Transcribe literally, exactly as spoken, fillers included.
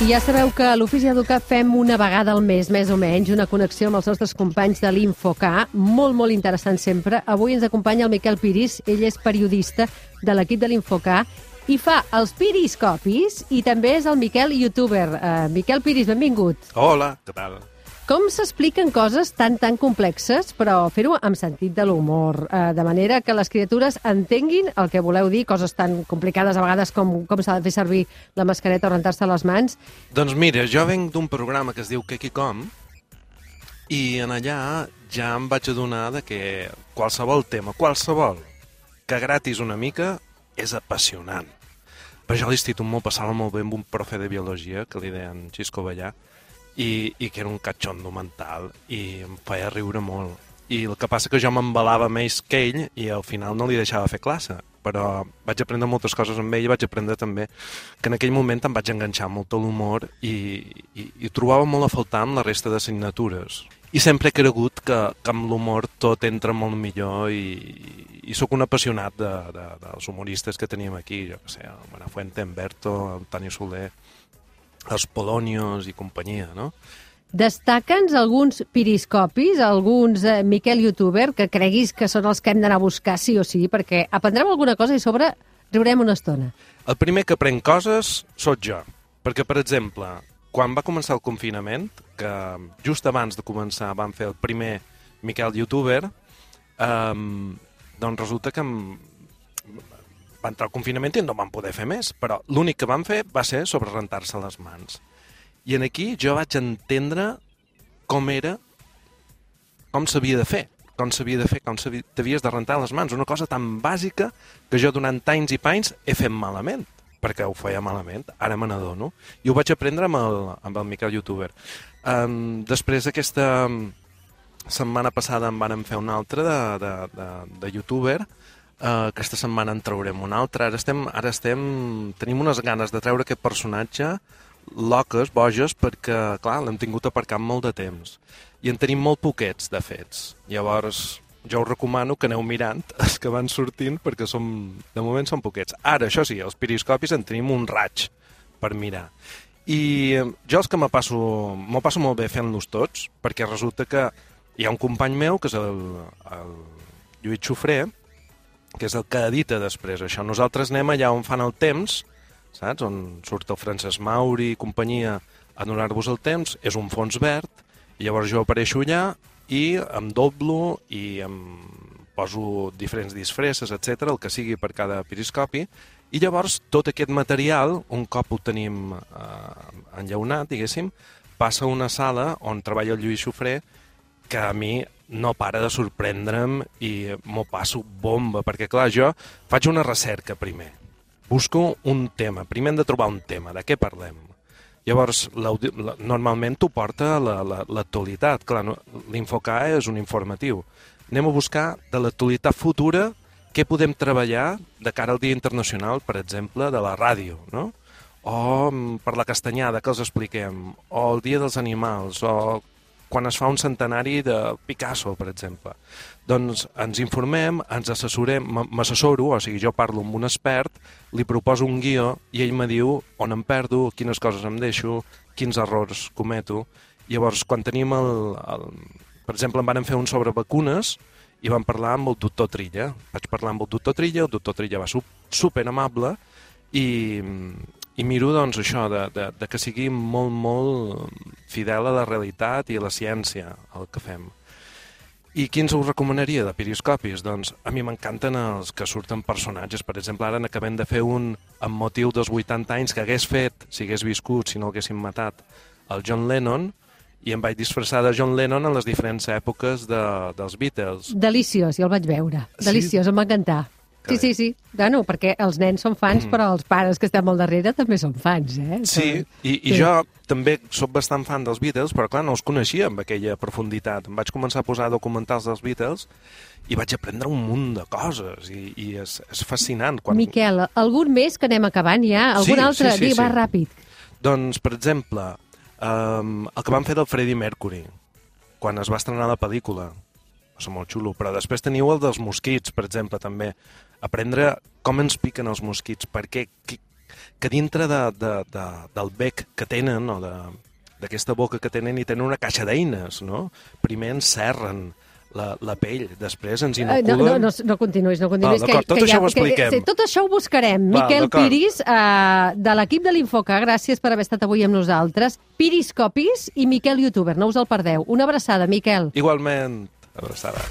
I ja sabeu que a l'Ofici Educat fem una vegada al mes, més o menys, una connexió amb els nostres companys de l'Infoca, molt, molt interessant sempre. Avui ens acompanya el Miquel Piris, ell és periodista de l'equip de l'Infoca i fa els Piriscopis i també és el Miquel youtuber. Uh, Miquel Piris, benvingut. Hola, què tal? Com s'expliquen coses tan, tan complexes, però fer-ho amb sentit de l'humor, eh, de manera que les criatures entenguin el que voleu dir, coses tan complicades a vegades com com s'ha de fer servir la mascareta o rentar-se les mans? Doncs mira, jo venc d'un programa que es diu Kekicom i en allà ja em vaig adonar de que qualsevol tema, qualsevol, que gratis una mica, és apassionant. Per això a l'institut m'ho passava molt bé amb un profe de biologia, que li deien Xisco Ballà, I, i que era un catxondo mental i em feia riure molt. I el que passa que jo m'embalava més que ell i al final no li deixava fer classe, però vaig aprendre moltes coses amb ell i vaig aprendre també que en aquell moment em vaig enganxar molt a l'humor i, i, i trobava molt a faltar amb la resta d'assignatures. I sempre he cregut que, que amb l'humor tot entra molt millor i, i sóc un apassionat de, de, dels humoristes que teníem aquí, jo que sé, el Buenafuente, en Berto, el Tani Soler, els Polonios i companyia, no? Destaca'ns alguns piriscopis, alguns eh, Miquel youtuber, que creguis que són els que hem d'anar a buscar sí o sí, perquè aprendrem alguna cosa i a sobre riurem una estona. El primer que prenc coses sóc jo, perquè, per exemple, quan va començar el confinament, que just abans de començar van fer el primer Miquel youtuber, eh, doncs resulta que em... va entrar el confinament i no van poder fer més, però l'únic que van fer va ser sobre rentar-se les mans. I en aquí jo vaig entendre com era, com s'havia de fer, com s'havia de fer, com t'havies de rentar les mans, una cosa tan bàsica que jo durant anys i panys he fet malament, perquè ho feia malament, ara me n'adono, i ho vaig aprendre amb el, amb el Miquel youtuber. Um, després aquesta setmana passada en vàrem fer un altre de, de, de, de youtuber. Uh, aquesta setmana en traurem un altre. Ara estem, ara estem... Tenim unes ganes de treure aquest personatge loques, boges, perquè, clar, l'hem tingut aparcat molt de temps. I en tenim molt poquets, de fets. Llavors, jo us recomano que aneu mirant els que van sortint, perquè som, de moment són poquets. Ara, això sí, els piriscopis en tenim un raig per mirar. I jo els que me passo, m'ho passo molt bé fent-los tots, perquè resulta que hi ha un company meu, que és el, el Lluís Xofré, que és el que edita després això. Nosaltres anem allà on fan el temps, saps? On surt el Francesc Mauri i companyia a donar-vos el temps, és un fons verd, i llavors jo apareixo allà i em doblo i em poso diferents disfresses, etcètera, el que sigui per cada piriscopi, i llavors tot aquest material, un cop ho tenim eh, enllaunat, diguéssim, passa a una sala on treballa el Lluís Xofré, que a mi no para de sorprendre'm i m'ho passo bomba, perquè clar, jo faig una recerca primer, busco un tema, primer hem de trobar un tema, de què parlem? Llavors, la, normalment t'ho porta l'actualitat, clar, no, l'Infoca és un informatiu. Anem a buscar de l'actualitat futura què podem treballar de cara al Dia Internacional, per exemple, de la ràdio, no? O per la castanyada, que els expliquem, o el Dia dels Animals, o quan es fa un centenari de Picasso, per exemple. Doncs ens informem, ens assessorem, m'assessoro, o sigui, jo parlo amb un expert, li proposo un guió i ell me diu on em perdo, quines coses em deixo, quins errors cometo. Llavors, quan tenim el... el per exemple, en vam fer un sobre vacunes i vam parlar amb el doctor Trilla. Vaig parlar amb el doctor Trilla, el doctor Trilla va ser super amable i... I miro, doncs, això, de, de, de que sigui molt, molt fidel a la realitat i a la ciència, el que fem. I quins us recomanaria de piriscopis? Doncs a mi m'encanten els que surten personatges. Per exemple, ara n'acabem de fer un amb motiu dels vuitanta anys que hagués fet, si hagués viscut, si no haguéssim matat, el John Lennon, i em vaig disfressar de John Lennon en les diferents èpoques de, dels Beatles. Deliciós, jo el vaig veure. Sí? Deliciós, em va encantar. Sí, sí, sí. Bueno, perquè els nens són fans, mm. però els pares que estem al darrere també són fans, eh? Sí, i, i sí. Jo també sóc bastant fan dels Beatles, però clar, no els coneixia amb aquella profunditat. Em vaig començar a posar documentals dels Beatles i vaig aprendre un munt de coses, i, i és, és fascinant. Quan... Miquel, algun més que anem acabant ja? Algun sí, altre? Sí, sí, Di, va sí. ràpid. Doncs, per exemple, um, el que van fer del Freddie Mercury, quan es va estrenar la pel·lícula, va ser molt xulo, però després teniu el dels mosquits, per exemple, també. Aprendre com ens piquen els mosquits, per què, qui, que dintre de, de, de, del bec que tenen, o d'aquesta boca que tenen, hi tenen una caixa d'eines, no? Primer encerren la, la pell, després ens inoculen... No, no, no, no continuïs, no continuïs. Ah, d'acord, tot que això ja, ho expliquem. Que, sí, tot això ho buscarem. Va, Miquel Piris, uh, de l'equip de l'Infocar, gràcies per haver estat avui amb nosaltres. Piris Copis i Miquel Youtuber, no us el perdeu. Una abraçada, Miquel. Igualment, abraçada.